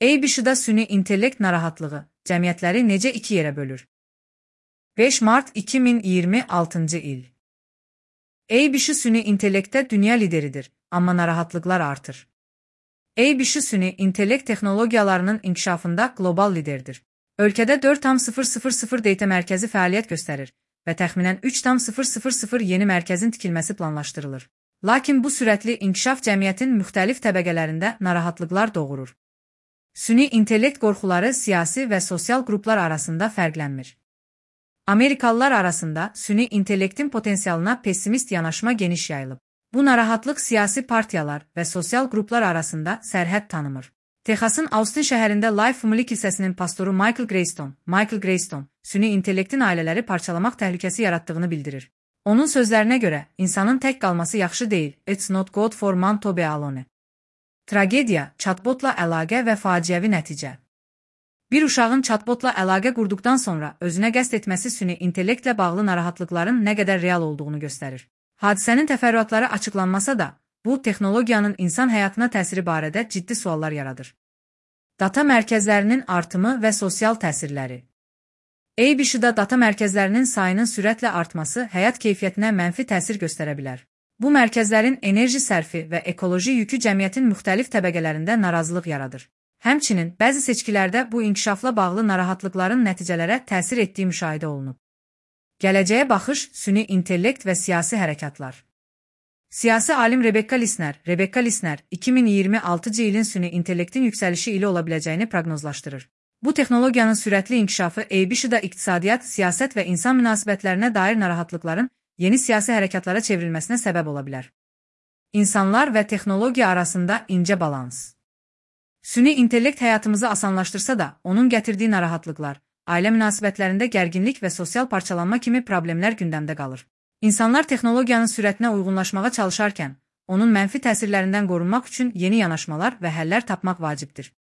ABC-də süni intellekt narahatlığı cəmiyyətləri necə iki yerə bölür? 5 mart 2026-cı il. ABC süni intellektdə dünya lideridir, amma narahatlıqlar artır. ABC süni intellekt texnologiyalarının inkişafında qlobal liderdir. Ölkədə 4,000 data mərkəzi fəaliyyət göstərir və təxminən 3,000 yeni mərkəzin tikilməsi planlaşdırılır. Lakin bu sürətli inkişaf cəmiyyətin müxtəlif təbəqələrində narahatlıqlar doğurur. Süni intellekt qorxuları siyasi və sosial qruplar arasında fərqlənmir. Amerikalılar arasında süni intellektin potensialına pessimist yanaşma geniş yayılıb. Bu narahatlıq siyasi partiyalar və sosial qruplar arasında sərhəd tanımır. Texasın Austin şəhərində Life Family kilsəsinin pastoru Michael Greystone, süni intellektin ailələri parçalamaq təhlükəsi yarattığını bildirir. Onun sözlərinə görə, insanın tək qalması yaxşı deyil, it's not good for man to be alone. Tragediya, chatbotla əlaqə və faciəvi nəticə. Bir uşağın chatbotla əlaqə qurduqdan sonra özünə qəsd etməsi süni intellektlə bağlı narahatlıqların nə qədər real olduğunu göstərir. Hadisənin təfərrüatları açıqlanmasa da, bu texnologiyanın insan həyatına təsiri barədə ciddi suallar yaradır. Data mərkəzlərinin artımı və sosial təsirləri. ABC-də data mərkəzlərinin sayının sürətlə artması həyat keyfiyyətinə mənfi təsir göstərə bilər. Bu mərkəzlərin enerji sərfi və ekoloji yükü cəmiyyətin müxtəlif təbəqələrində narazılıq yaradır. Həmçinin, bəzi seçkilərdə bu inkişafla bağlı narahatlıqların nəticələrə təsir etdiyi müşahidə olunub. Gələcəyə baxış, süni intellekt və siyasi hərəkatlar. Siyasi alim Rebecca Lisner 2026-cı ilin süni intellektin yüksəlişi ili ola biləcəyini proqnozlaşdırır. Bu texnologiyanın sürətli inkişafı ABC-də iqtisadiyyat, siyasət və insan münasibətlərinə dair narahatlıqların yeni siyasi hərəkatlara çevrilməsinə səbəb ola bilər. İnsanlar və texnologiya arasında incə balans. Süni intellekt həyatımızı asanlaşdırsa da, onun gətirdiyi narahatlıqlar, ailə münasibətlərində gərginlik və sosial parçalanma kimi problemlər gündəmdə qalır. İnsanlar texnologiyanın sürətinə uyğunlaşmağa çalışarkən, onun mənfi təsirlərindən qorunmaq üçün yeni yanaşmalar və həllər tapmaq vacibdir.